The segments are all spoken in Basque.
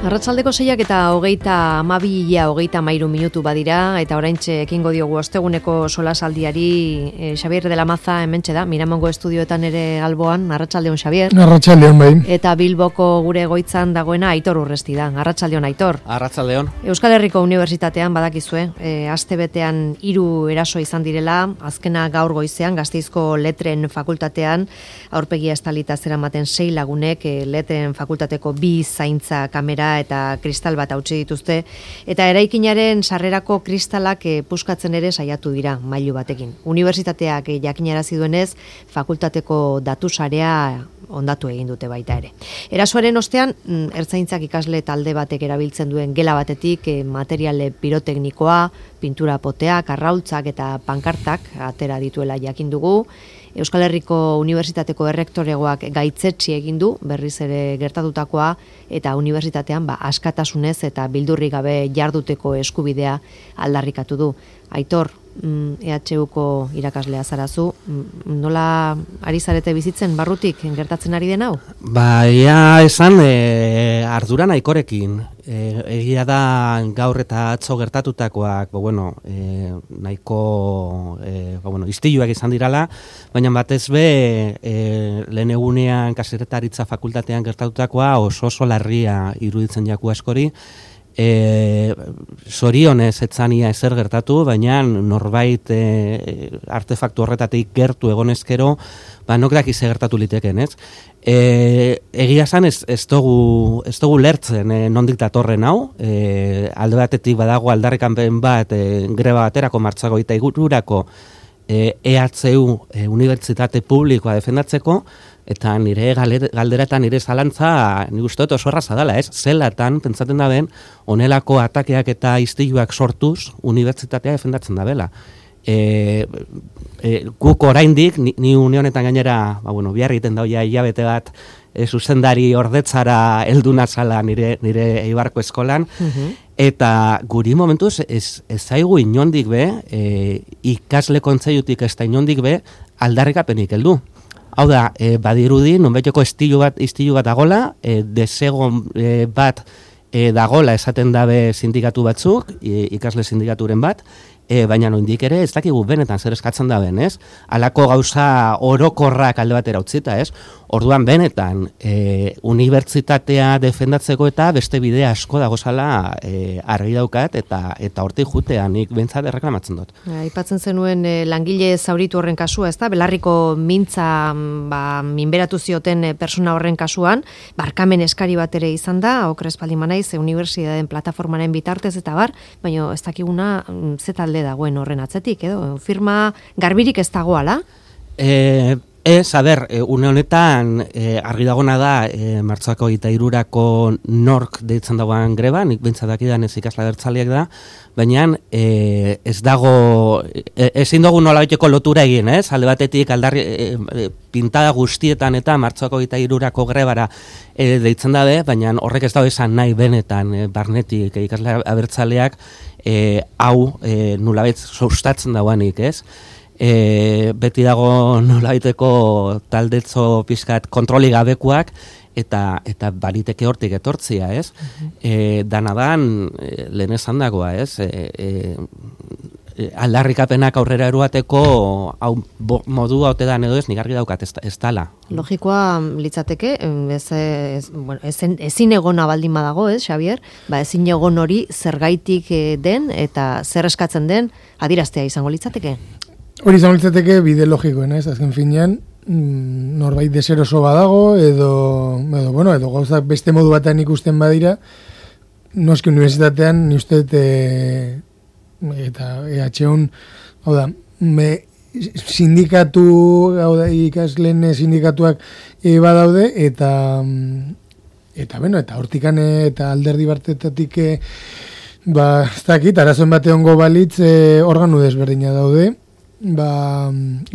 Arratsaldeko 6 eta 32 minutu badira, eta oraintxe ekingo diogu osteguneko solasaldiari. Xabier de la Maza hementxe da, Miramongo estudioetan ere alboan. Arratsaldeon, Xabier. Arratsaldeon, bai. Eta Bilboko gure egoitzan dagoena Aitor Urresti da. Arratsaldeon, Aitor. Arratsaldeon. Euskal Herriko Unibertsitatean badakizue, astebetean 3 eraso izan direla, azkena gaur goizean Gasteizko Letren Fakultatean, aurpegia estalita zeramaten 6 lagunek Letren Fakultateko 2 zaintza kamera eta kristal bat hautsi dituzte, eta eraikinaren sarrerako kristalak puskatzen ere saiatu dira mailu batekin. Unibertsitateak jakinarazi duenez, fakultateko datu sarea ondatu egin dute baita ere. Erasoaren ostean, ertzaintzak ikasle talde batek erabiltzen duen gela batetik materiale piroteknikoa, pintura poteak, arraultzak eta pankartak atera dituela jakin dugu. Euskal Herriko Unibertsitateko errektoregoak gaitzetsi egin du berriz ere gertatutakoa, eta unibertsitatean askatasunez eta bildurrik gabe jarduteko eskubidea aldarrikatu du. Aitor, EHUko irakaslea zarazu, nola ari zarete bizitzen barrutik gertatzen ari den hau? Ia esan ardura nahikorekin. Egia da gaur eta atzo gertatutakoak, nahiko istiluak izan dirala, baina batez be lehen egunean kazetaritza fakultatean gertatutakoa oso larria iruditzen jaku askori. Zorionez etzania ezer gertatu, baina norbait artefaktu horretatik gertu egonezkero, nok dakiz gertatu liteken, ez? Egia esan ez dugu lertzen nondik datorren hau, alde batetik badago aldarrikanpen bat greba baterako martxoak 23rako EHU unibertsitate publikoa defendatzeko, eta nire galdera eta nire zalantza nik uste dut oso erraza dela, ez? Zelatan, pentsaten da ben, onelako atakeak eta istiluak sortuz unibertsitatea defendatzen da bela. Guk oraindik, ni une honetan gainera, bihar egiten da hilabete bat, zuzendari ordetzara heldu nazala nire Eibarko eskolan, eta guri momentuz ez zaigu inondik be, ikasle kontseilutik ez da inondik be, aldarrikapenik heldu. Hau da, badirudi, nonbaiteko istilu bat dagola, desegon bat dagola esaten dabe sindikatu batzuk, ikasle sindikaturen bat, baina noindik ere ez dakigu benetan zer eskatzen da ben, ez? Halako gauza orokorrak alde batera utzita, ez? Orduan benetan, unibertsitatea defendatzeko eta beste bide asko dagozala argi daukat, eta hortik jutea nik bentsat erreklamatzen dut. Aipatzen zenuen langile zauritu horren kasua, ez da? Belarriko mintza minberatu zioten persona horren kasuan, barkamen eskari bat ere izan da, okrez paldimanaiz, unibertsitateen plataformaren bitartez eta baina ez dakiguna zetalde dagoen horren atzetik, edo? Firma garbirik ez dagoala? Une honetan argi dagona da martxoak 23rako nork deitzen dagoen greba, nik bentsadakidan ez ikasle abertzaleak da, baina ez dago, ezin dugu nolabaiteko lotura egin, ez? Alde batetik aldarri pintada guztietan eta martxoak 23rako grebara deitzen dabe, baina horrek ez dago esan nahi benetan barnetik ikasle abertzaleak hau nolabait sustatzen dagoanik, ez? Beti dago nolabaiteko taldetzo pixkat kontroli gabekoak eta bariteke hortik etortzia, ez? Danadan lehen esan dagoa, ez? Aldarrikapenak aurrera eruateko modua ote dan edo ez, nik argi daukat ez dala. Logikoa litzateke, ezin egona baldin badago, ez, Xabier? Ezin egon hori zergaitik den eta zer eskatzen den adieraztea izango litzateke? Hori izango litzateke bide logikoen, ez? Azken finean, norbait deseroso badago, edo gauzak beste modu batean ikusten badira, noski unibertsitatean, ni uste eta EHUn, hau da, sindikatu, hau da, ikasleen sindikatuak badaude, eta hortikan eta alderdi bartetatik, ez dakit, arazoen bate ongo balitz, organu desberdina daude,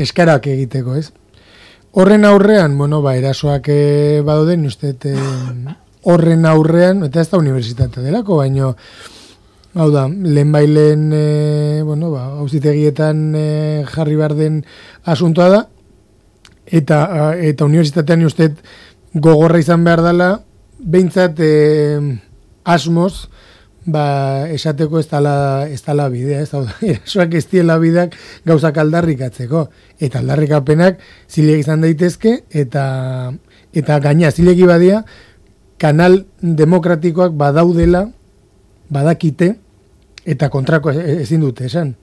eskarak egiteko, ez? Horren aurrean, erasoak badaude, ni uste horren aurrean, eta ez da unibertsitatea delako, baino, hau da, lehen auzitegietan jarri behar den asuntoa da, eta unibertsitatean uste gogorra izan behar dela, behintzat asmoz, esateko ez dala bidea, ez da, erasoak ez diela bideak gauzak aldarrikatzeko, eta aldarrikapenak zilegi izan daitezke, eta gaina zilegi badia, kanal demokratikoak badaudela, badakite, eta kontrako ezin dute esan.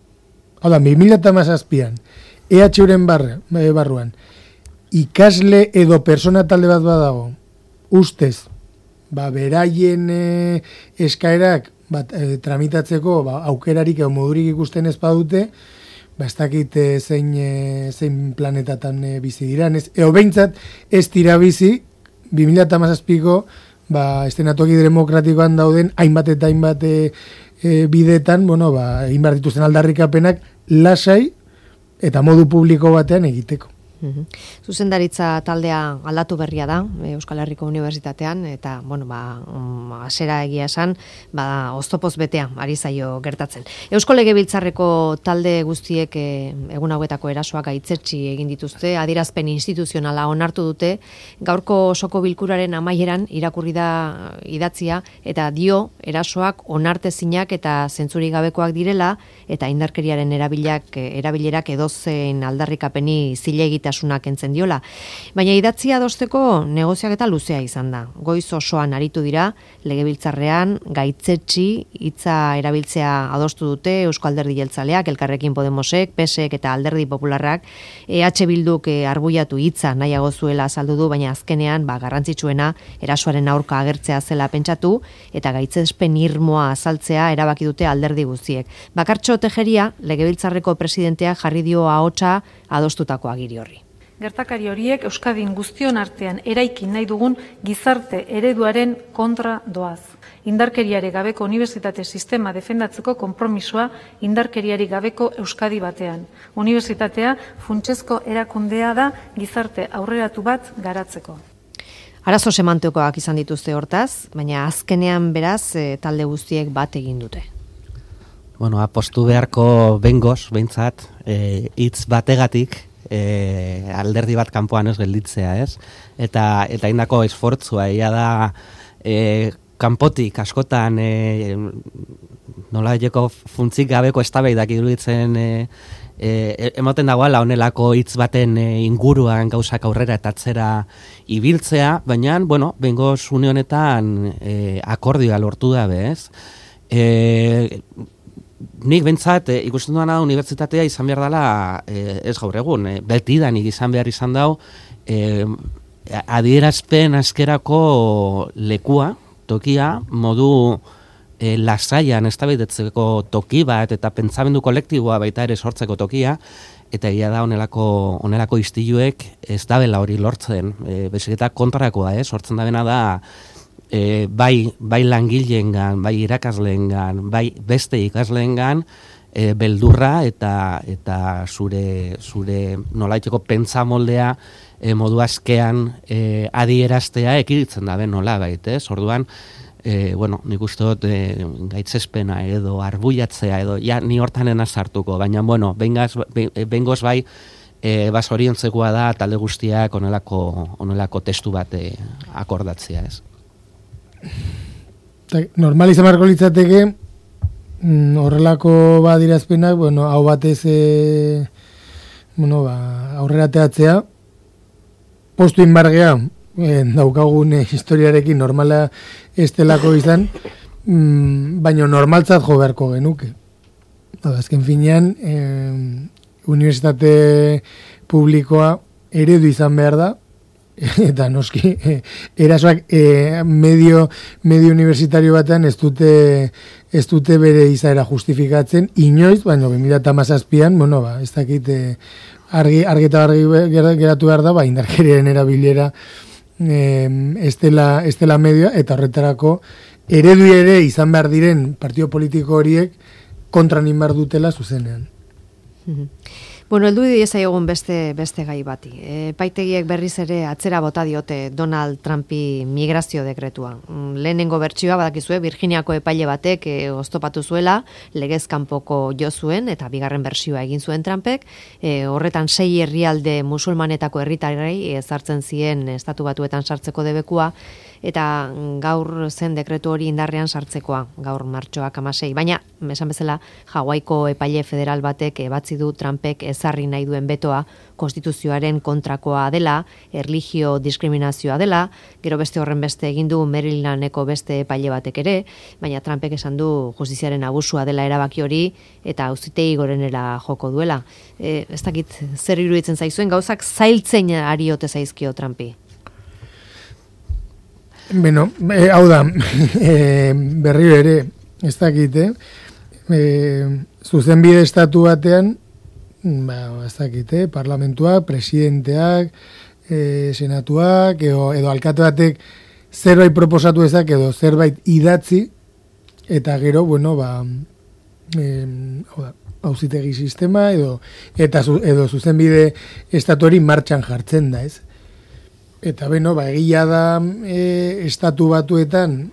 Hau da, 2017an, EH-uren barruan, ikasle edo persona talde bat badago, ustez, beraien eskaerak tramitatzeko aukerarik edo modurik ikusten ez badute, ez dakit zein planetatan bizi diran, edo behintzat ez dira bizi 2017ko estenatoki demokratikoan dauden hainbat eta hainbat bidetan, egin behar dituzten aldarrikapenak lasai eta modu publiko batean egiteko. Zuzendaritza taldea aldatu berria da Euskal Herriko Unibertsitatean eta hasera egia esan oztopoz betea ari zaio gertatzen. Eusko Legebiltzarreko talde guztiek egun hauetako erasoak gaitzetsi egin dituzte, adierazpen instituzionala onartu dute, gaurko osoko bilkuraren amaieran irakurri da idatzia eta dio erasoak onartezinak eta zentzurik gabekoak direla eta indarkeriaren erabilerak edozein aldarrikapeni zilegitasunak entzen diola. Baina idatzia adosteko negoziaketa luzea izan da. Goiz osoan aritu dira, Legebiltzarrean gaitzetsi hitza erabiltzea adostu dute Eusko Alderdi Jeltzaleak, Elkarrekin Podemosek, PSek eta Alderdi Popularrak, EH Bilduk arbuiatu hitza nahiago zuela azaldu du, baina azkenean garrantzitsuena erasoaren aurka agertzea zela pentsatu eta gaitzespen irmoa azaltzea erabaki dute alderdi guztiek. Bakartxo Tejeria, Legebiltzarreko presidentea jarri dio ahotsa adostutako agiri horri. Gertakari horiek Euskadin guztion artean eraikin nahi dugun gizarte ereduaren kontra doaz. Indarkeriari gabeko unibertsitate sistema defendatzeko konpromisoa indarkeriari gabeko Euskadi batean. Unibertsitatea funtsezko erakundea da gizarte aurreratu bat garatzeko. Arazo semantikoak izan dituzte hortaz, baina azkenean beraz talde guztiek bat egin dute. Apostu beharko bengoz, behintzat, hitz bategatik, alderdi bat kanpoan ez gelditzea, ez? Eta indako esfortzua, ia da kanpotik askotan nola jeko funtzik gabeko eztabaidak iruditzen emoten dagoela honelako hitz baten inguruan gauzak aurrera eta atzera ibiltzea, baina, bengoz une honetan akordioa lortu dabe, ez? Nik bentsat ikusten duana unibertsitatea izan behar dela ez gaur egun, betidanik izan behar izan dau adierazpen askerako lekua, tokia, modu lasaian eztabaidatzeko toki bat eta pentsamendu kolektiboa baita ere sortzeko tokia, eta egia da honelako istiluek ez dabela hori lortzen, bezik eta kontrakoa, sortzen dabena da bai langileengan, bai irakasleengan, bai beste ikasleengan beldurra eta zure nolaiteko pentsamoldea modu askean adieraztea ekiditen da nolabait, Orduan, nik uste dut gaitzespena edo arbuiatzea edo ni hortanena sartuko, baina bengoz bai basoriontzekoa da talde guztiak honelako testu bat akordatzea, ez. Normal izan marko litzateke horrelako badirazpenak, hau batez aurrera teatzea postu inbargea daukagun historiarekin normala estelako izan, baina normaltzat jo beharko genuke. Azken finean unibertsitate publikoa eredu izan behar da, eta noski erasoak medio universitario batean ez dute bere izaera justifikatzen inoiz, baina 2017an, ez dakit argi eta argi geratu behar da, indarkeriaren erabilera ez dela medioa, eta horretarako eredu ere izan behar diren partio politiko horiek kontra nin behar dutela zuzenean. Bueno, heldu diezaiogun beste gai bati. Epaitegiek berriz ere atzera bota diote Donald Trumpi migrazio dekretua. Lehenengo bertsioa badakizue Virginiako epaile batek oztopatu zuela, legez kanpoko jo zuen eta bigarren bertsioa egin zuen Trumpek. Horretan 6 herrialde musulmanetako herritarrei ezartzen zien estatu batuetan sartzeko debekua eta gaur zen dekretu hori indarrean sartzekoa, gaur martxoak 16. Baina, esan bezala, Hawaiko epaile federal batek ebatzi du Trumpek ezarri nahi duen betoa konstituzioaren kontrakoa dela, erlijio diskriminazioa dela, gero beste horren beste egin du Marylandeko beste epaile batek ere, baina Trumpek esan du justiziaren abusua dela erabaki hori eta auzitegi gorenera joko duela. Ez dakit zer iruditzen zaizuen, gauzak zailtzen ari ote zaizkio Trumpi. Beno, hau da, berriro ere, ez dakit, zuzenbide estatu batean, ez dakit, parlamentuak, presidenteak, senatuak, edo alkate batek zerbait proposatu ezak, edo zerbait idatzi, eta gero, bueno, hau da, auzitegi sistema, edo zuzenbide estatu hori martxan jartzen da, ez? Eta beno, egia da estatu batuetan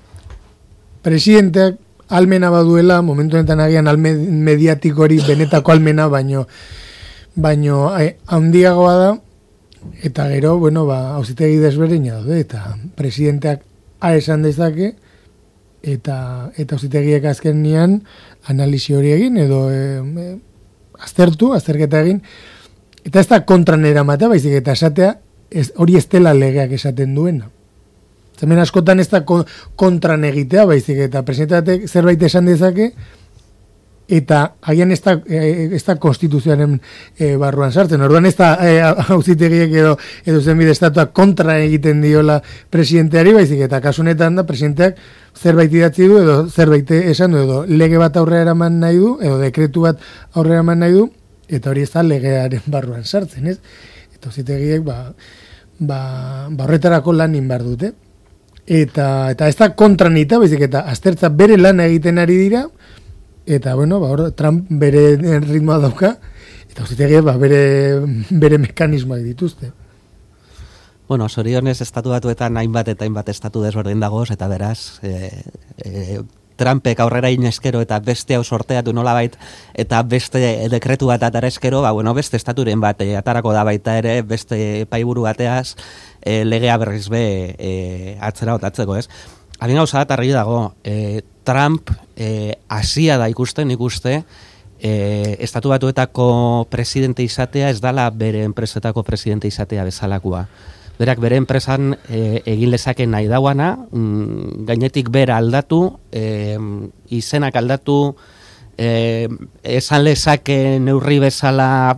presidenteak almena baduela, momentu honetan agian mediatiko hori benetako almena, baino handiagoa da, eta gero, bueno, auzitegi desberdina daude, eta presidenteak esan dezake, eta auzitegiek azkenean analisi hori egin, edo azterketa egin, eta ez da kontran eramatea, baizik eta esatea, hori ez dela legeak esaten duena. Hemen askotan ez da kontran egitea, baizik eta presidenteak zerbait esan dezake, eta agian ez da konstituzioaren barruan sartzen. Orduan ez da auzitegiek edo zenbide estatua kontra egiten diola presidenteari, baizik eta kasunetan da presidenteak zerbait idatzi du, edo zerbait esan du, edo lege bat aurrera eraman nahi du, edo dekretu bat aurrera eraman nahi du, eta hori ez da legearen barruan sartzen, ez? Auzitegiek horretarako lan behar dute. Eta ez da kontranita, baizik eta aztertza bere lan egiten ari dira, eta bueno, Trump bere ritmoa dauka, eta auzitegiek bere mekanismoak dituzte. Bueno, zorionez estatu batuetan hainbat eta hainbat estatu desberdin dagoz, eta beraz, Trumpek aurrera inezkero eta beste hau sorteatu nolabait eta beste dekretu bat atara eskero, beste estaturen bat atarako da baita ere, beste epaiburu bateaz legea berriz atzera otatzeko, ez? Harin gauza bat argi dago, Trump hasia da ikuste, estatu batuetako presidente izatea ez dala bere enpresetako presidente izatea bezalakoa. Berak bere enpresan egin lezake nahi dauana, gainetik bera aldatu, izenak aldatu, esan lezake neurri bezala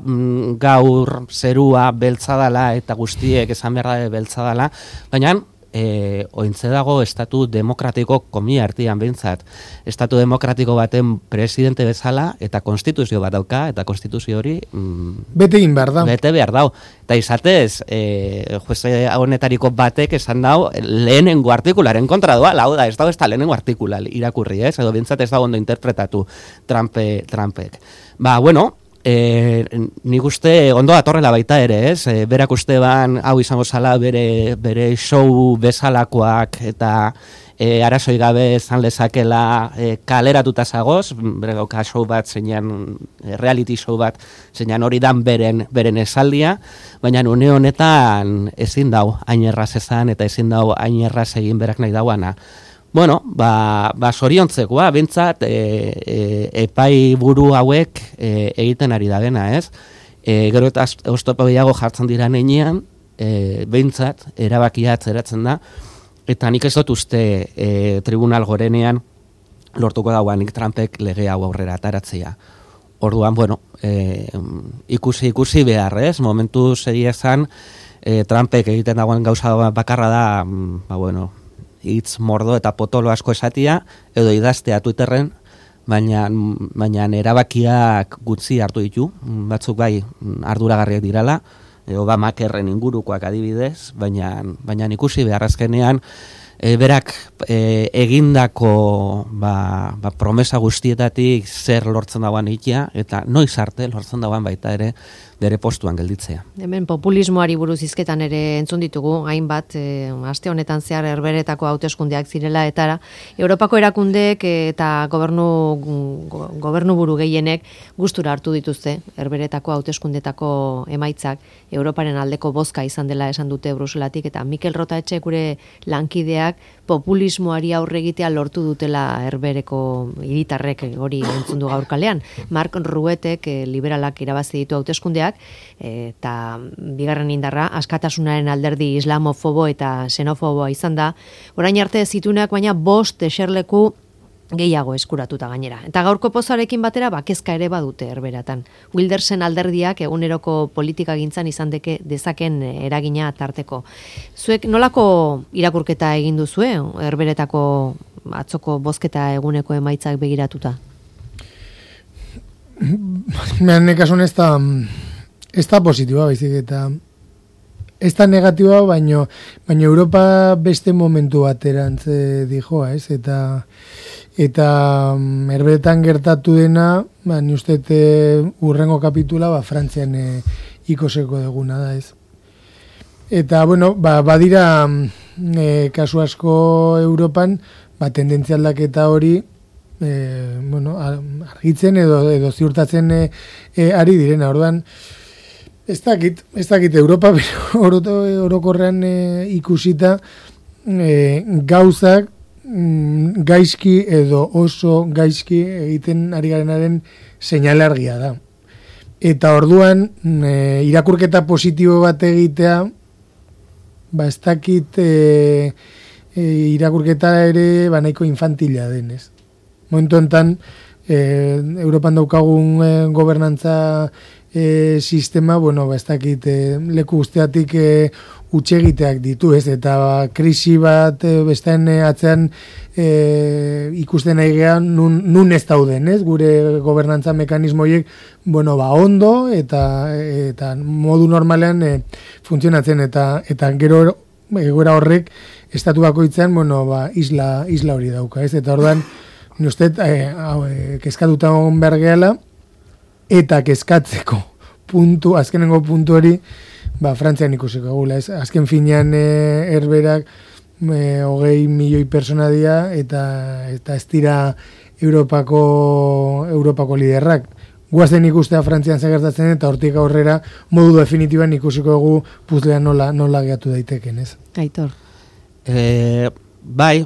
gaur zerua beltzadala eta guztiek esan behar da beltzadala, baina ointze dago estatu demokratiko komia artean behintzat. Estatu demokratiko baten presidente bezala eta konstituzio bat dauka, eta konstituzio hori bete egin behar da. Bete behar dau. Eta izatez, jueze honetariko batek esan dau lehenengo artikularen kontra doa, hau da, ez da lehenengo artikula irakurri, ez? Edo behintzat ez da ondo interpretatu Trumpek. Nik uste ondo atorrela baita ere, ez? Berak uste ban, hau izango zala bere show bezalakoak eta arazoi gabe zan lezakela kaleratuta zagoz, bere gauka show bat zeinan, reality show bat zeinan hori dan beren esaldia, baina une honetan ezin dau hain erraz ezan eta ezin dau hain erraz egin berak nahi dauana. Bueno, zoriontzekoa, bintzat, epai buru hauek egiten ari da dena, ez? Gero eta oztopo gehiago jartzen dira nenean, bintzat, erabakia atzeratzen da, eta nik ez dut uste tribunal gorenean lortuko dauanik Trumpek lege hau aurrera ataratzea. Orduan, ikusi behar, ez? Momentu segia ezan, Trumpek egiten dagoen gauza bakarra da, hitz mordo eta potolo asko esatia, edo idaztea Twitterren, baina erabakiak gutxi hartu ditu, batzuk bai arduragarriak dirala, Obamakerren ingurukoak adibidez, baina ikusi beharrazkenean berak egindako promesa guztietatik zer lortzen dagoan ikia, eta noiz arte lortzen dagoan baita ere bere postuan gelditzea. Hemen populismoari buruz hizketan ere entzun ditugu, hainbat, aste honetan zehar Herberetako hauteskundeak zirela, eta Europako erakundeek eta gobernu buru gehienek gustura hartu dituzte Herberetako hauteskundetako emaitzak, Europaren aldeko bozka izan dela esan dute Bruselatik, eta Mikel Rotaetxe gure lankideak populismoari aurre egitea lortu dutela Herbereko hiritarrek hori entzun du gaur kalean. Mark Ruetek liberalak irabazi ditu hauteskundeak, eta bigarren indarra askatasunaren alderdi islamofobo eta xenofoboa izan da. Orain arte zitunak baina 5 eserleku gehiago eskuratuta gainera. Eta gaurko pozarekin batera kezka ere badute Herberatan. Wildersen alderdiak eguneroko politikagintzan izan dezaken eragina tarteko. Zuek nolako irakurketa egin duzue Herberetako atzoko bozketa eguneko emaitzak begiratuta? Mehan kasun ez da positiboa, baizik, eta ez da negatiboa, baino Europa beste momentu baterantz dijoa, ez? Eta Herberetan gertatu dena, ni uste urrengo kapitula Frantzian ikoseko deguna da, ez? Eta, bueno, badira kasu asko Europan, tendentzia aldaketa hori, argitzen edo ziurtatzen ari direna, orduan, ez dakit Europa, orokorrean ikusita gauzak gaizki edo oso gaizki egiten ari garenaren seinale argia da. Eta orduan irakurketa positibo bat egitea, ez dakit irakurketa ere nahiko infantila denez. Momentu enten, Europan daukagun gobernantza sistema, ez dakit leku guztiatik utxegiteak ditu, ez? Eta krisi bat bestean atzean ikusten nahi gehan nun ez dauden, ez? Gure gobernantza mekanismoiek, ondo eta modu normalean funtzionatzen, eta gero egoera horrek estatu bakoitzean, isla hori dauka, ez? Eta orduan, ni uste, kezkatuta egon behar gehala, eta kezkatzeko azkenengo puntu hori, Frantzian ikusiko gula, ez? Azken finean Herberak 20 milioi persona dira, eta ez dira Europako liderrak. Guazen ikustea Frantzian zegertatzen, eta hortik aurrera modu definitiban ikusiko dugu puzlea nola geatu daiteken, ez? Aitor. Bai,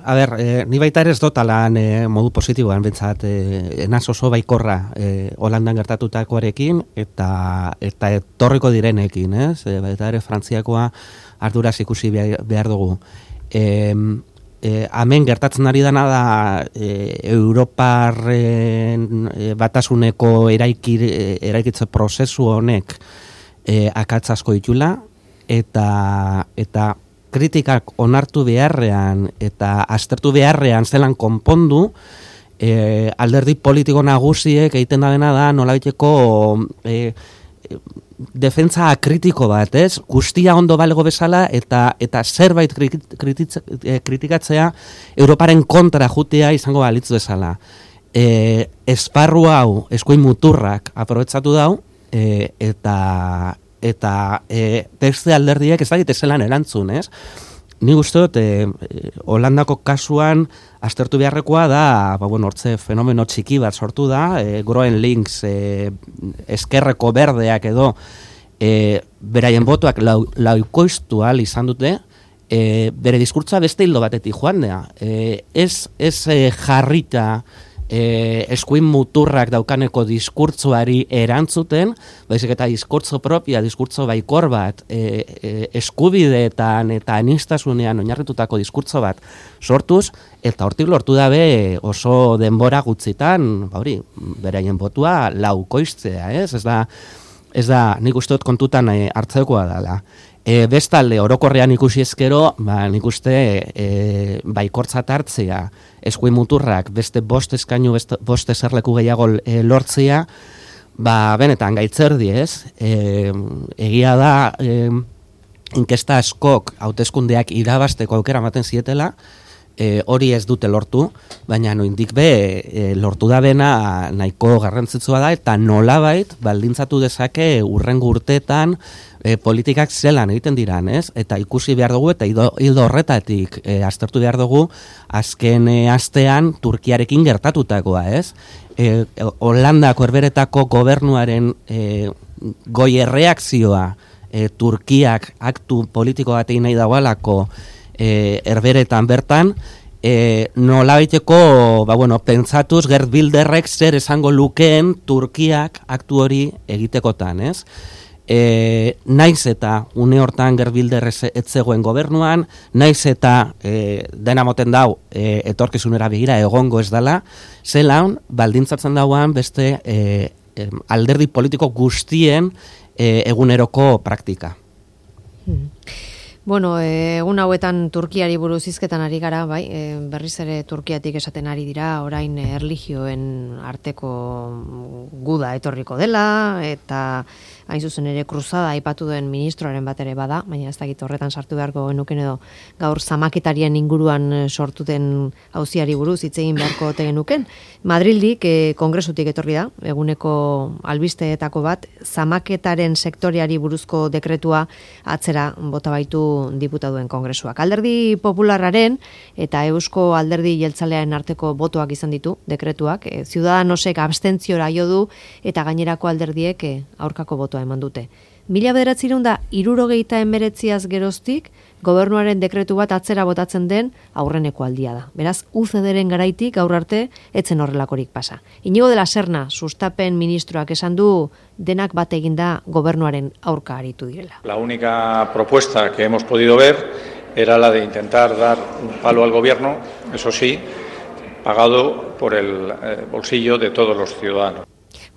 ni baita ere ez dotalan modu positiboan, bentsat, enaz oso baikorra Holandan gertatutakoarekin, eta etorriko direnekin, ez? Baita ere Frantziakoa arduraz ikusi behar dugu. Hemen gertatzen ari dena da Europarren batasuneko eraikitze prozesu honek akats asko ditula, eta kritikak onartu beharrean eta aztertu beharrean zelan konpondu, alderdi politiko nagusiek egiten da dena da nolabaiteko defentsa kritiko bat, ez? Guztia ondo balego bezala eta zerbait kritikatzea Europaren kontra jutea izango balitz bezala. Esparru hau, eskuin muturrak aprobetsatu dau, eta beste alderdiek ez dakite zelan erantzun, ez? Ni uste dut, Holandako kasuan aztertu beharrekoa da, hortze fenomeno txiki bat sortu da, Groen Links, eskerreko berdeak edo, beraien botoak laukoiztu ahal izan dute, bere diskurtza beste hildo batetik joan da. Ez jarrita eskuin muturrak daukaneko diskurtzoari erantzuten, baizik eta diskurtzo propia, diskurtzo baikor bat, eskubideetan eta anistasunean oinarritutako diskurtso bat sortuz, eta hortik lortu dabe oso denbora gutxitan, beraien botua laukoiztzea, ez? Ez da, nik uste dut kontutan hartzekoa dela. Bestalde, orokorrean ikusi ezkero, nik uste baikortzat hartzea, eskuin muturrak beste 5 eskainu, 5 eserleku gehiago lortzea, benetan gaitzerdi, ez? Egia da, inkesta askok hauteskundeak irabasteko aukera ematen zietela, hori ez dute lortu, baina noindik be lortu da bena nahiko garrantzitsua da, eta nolabait baldintzatu dezake urrengo urteetan politikak zelan egiten diran, ez? Eta ikusi behar dugu, eta hildo horretatik aztertu behar dugu, azken astean Turkiarekin gertatutakoa, ez? Holandako herberetako gobernuaren goi erreakzioa Turkiak aktu politiko bat egin nahi dagoelako herberetan bertan, nolabaiteko, pentsatuz Gerd Bilderrek zer esango lukeen Turkiak aktu hori egitekotan, ez? Naiz eta une hortan Gerd Bilder ez zegoen gobernuan, naiz eta dena moten dau etorkizunera begira egongo ez dela, zelan baldintzatzen dauan beste alderdi politiko guztien eguneroko praktika. Bueno, egun hauetan Turkiari buruz hizketan ari gara, bai, berriz ere Turkiatik esaten ari dira, orain erlijioen arteko guda etorriko dela, eta hain zuzen ere kruzada aipatu duen ministroaren bat ere bada, baina ez dakit horretan sartu beharko genuken edo gaur zamaketarien inguruan sortu den auziari buruz hitz egin beharko ote genuken. Madrildik kongresutik etorri da, eguneko albisteetako bat, zamaketaren sektoreari buruzko dekretua atzera bota baitu diputatuen kongresuak. Alderdi Popularraren eta Eusko Alderdi Jeltzalearen arteko botoak izan ditu dekretuak, Ciudadanosek abstentziora jo du eta gainerako alderdiek aurkako botoa eman dute. 1979 geroztik gobernuaren dekretu bat atzera botatzen den aurreneko aldia da. Beraz, UCD-ren garaitik gaur arte etzen horrelakorik pasa. Iñigo de la Serna, sustapen ministroak esan du denak bat eginda gobernuaren aurka aritu direla. La única propuesta que hemos podido ver era la de intentar dar un palo al gobierno, eso sí, pagado por el bolsillo de todos los ciudadanos.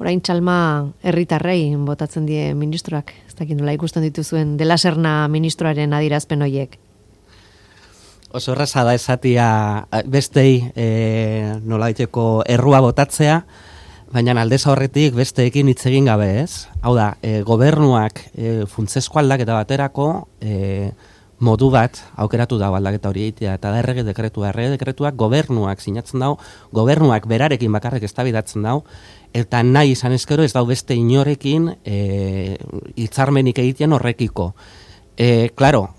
Orain txalma herritarrei botatzen die ministroak. Ez dakit nola ikusten dituzuen de la Serna ministroaren adierazpen horiek. Oso erraza da esatia bestei nolaiteko errua botatzea, baina aldez horretik besteekin hitz egin gabe, ez? Hau da, gobernuak funtsezko aldaketa baterako modu bat aukeratu dago aldaketa hori egitea, eta da errege dekretuak gobernuak sinatzen dago, gobernuak berarekin bakarrik eztabaidatzen dago, eta nahi izan ezkero ez dau beste inorekin hitzarmenik egiten horrekiko. Claro,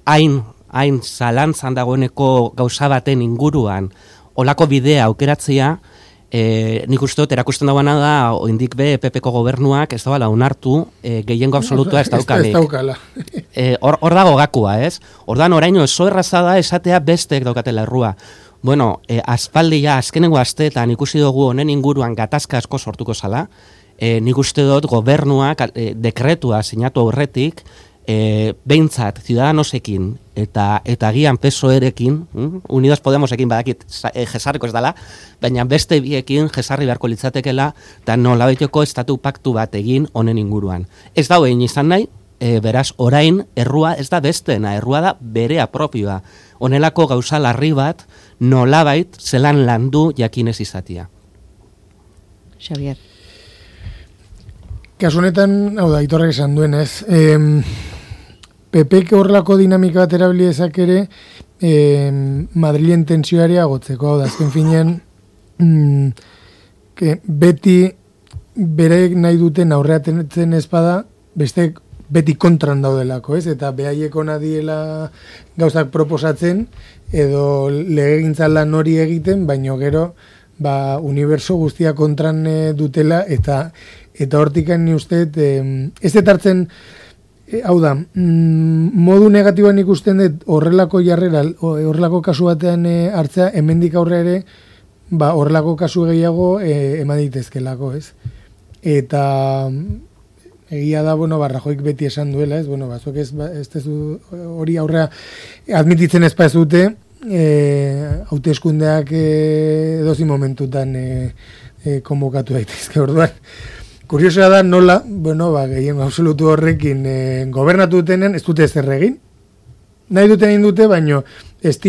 hain zalantzan dagoeneko gauza baten inguruan olako bidea aukeratzea, nik uste dut erakusten dagoena da, oindik be PP-ko gobernuak ez dagoela onartu gehiengo absolutua ez daukanik. Ez daukala. Hor dago gakua, ez? Ordan oraino oso erraza da esatea besteek daukatela errua. Bueno, aspaldia, azkenengo asteetan ikusi dugu honen inguruan gatazka asko sortuko zala. Nik uste dut gobernuak dekretua sinatu aurretik, behintzat Ciudadanosekin eta gian PSOE-rekin, Unidos Podemosekin badakit jesarriko ez dela, baina beste biekin jesarri beharko litzatekela, eta nolabaiteko estatu paktu bat egin honen inguruan. Ez da egin izan nahi, beraz orain errua ez da bestena, errua da berea propioa. Honelako gauza larri bat nolabait zelan landu jakinez izatia. Xavier. Kasu honetan, hau da, Aitorrek esan duenez, PPk horrelako dinamika bat erabili ezak ere Madrilen tentsioari agotzeko, hau da, azken finean beti berek nahi duten aurreatzen ezpada, beste beti kontran daudelako, ez? Eta behaieko nadiela gauzak proposatzen, edo legegintzan lan hori egiten, baino gero, uniberso guztia kontran dutela, eta hortikan ni uste, ez detartzen, hau da, modu negatiboan ikusten dut horrelako jarrera, horrelako kasu batean hartzea, hemendik aurre ere, horrelako kasu gehiago eman ditezkelako, ez? Eta egia da, Rajoik beti esan duela, ez? Zuek ez tezu hori aurrea admititzen ez dute, hauteskundeak edozi momentutan konbokatu daitezke orduan. Kuriosoa da nola, gehien absolutu horrekin gobernatu dutenen ez dute ezer egin. Nahi duten egin dute, baino ez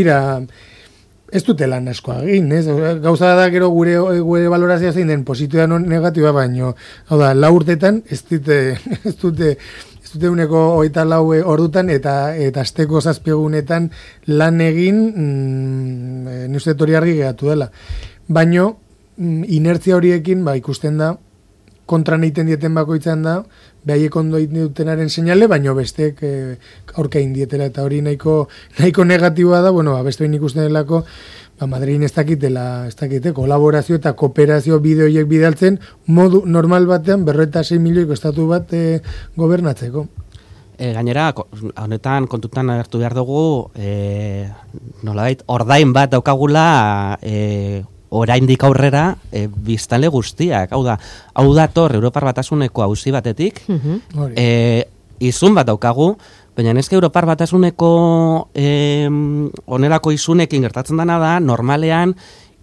dute lan askoa egin, ez? Gauza da gero gure valorazioa zein den positiboa negatiboa, baino, hau da, 4 urtetan ez dute dute 24 ordutan eta asteko 7 egunetan lan egin, ni uste hori argi geratu dela. Baino, inertzia horiekin, ikusten da, kontran egiten dieten bakoitzan da, behaiek ondo egiten dutenaren seinale, baino bestek aurka egin dietela, eta hori nahiko negatiboa da, beste behin ikusten delako, Madrid ez dakite, kolaborazio eta kooperazio bide horiek bidaltzen, modu normal batean 46 milioiko estatu bat gobernatzeko. Gainera, honetan kontutan hartu behar dugu, nolabait, ordain bat daukagula oraindik aurrera biztanle guztiak. Hau dator Europar Batasuneko auzi batetik, izun bat daukagu, baina neske Europar Batasuneko onerako izunekin gertatzen dena da, normalean,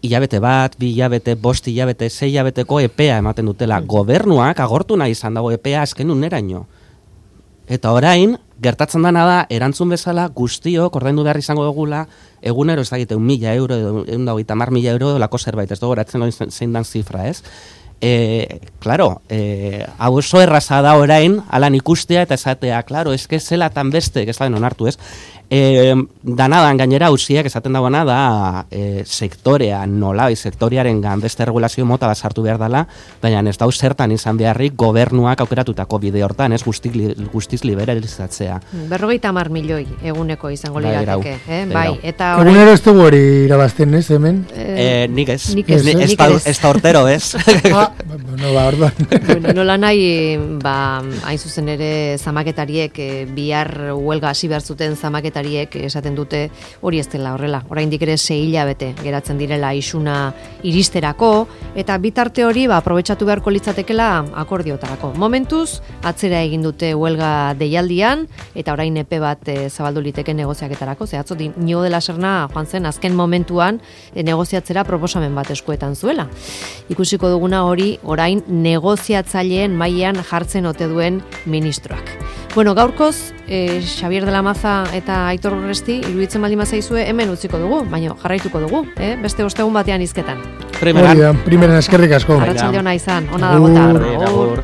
hilabete bat, 2 hilabete, 5 hilabete, 6 hilabeteko epea ematen dutela. Gobernuak agortu nahi izan dago epea azken uneraino. Eta orain, gertatzen dena da, erantzun bezala guztiok ordaindu behar izango dugula, egunero ez dakite 1.000 euro, 150.000 euro, lako zerbait, ez dugu eratzen zein dan zifra, ez? Claro, hau oso erraza da orain, alan ikustea eta esatea, claro, eske zelatan beste, ez da onartu, ez? Danadan gainera auziak esaten dagoena da sektorean, sektorearen beste regulazio mota bat sartu behar dela, baina ez dau zertan izan beharrik gobernuak aukeratutako bide hortan, ez guztiz liberalizatzea. 50 milioi eguneko izango lirateke, bai, eta egunero ez dugu hori irabazten, ez, hemen? Nik ez da hortero, ez? Bueno, nola nahi, hain zuzen ere zamaketariek, bihar huelga hasi behar zuten zamaketariek esaten dute hori ez dela horrela. Oraindik ere 6 hilabete geratzen direla isuna iristerako, eta bitarte hori aprobetxatu beharko litzatekela akordiotarako. Momentuz, atzera egin dute huelga deialdian, eta orain epe bat zabaldu liteke negoziaketarako, zehatzo Iñigo de la Serna joan zen azken momentuan negoziatzera proposamen bat eskuetan zuela. Ikusiko duguna hori orain negoziatzaileen mailan jartzen ote duen ministroak. Bueno, gaurkoz, Xabier de la Maza eta Aitor Urresti, iruditzen baldin bazaizue, hemen utziko dugu, baina jarraituko dugu, beste ostegun batean hizketan. Primeran eskerrik asko. Arratsalde ona izan, ona da bota.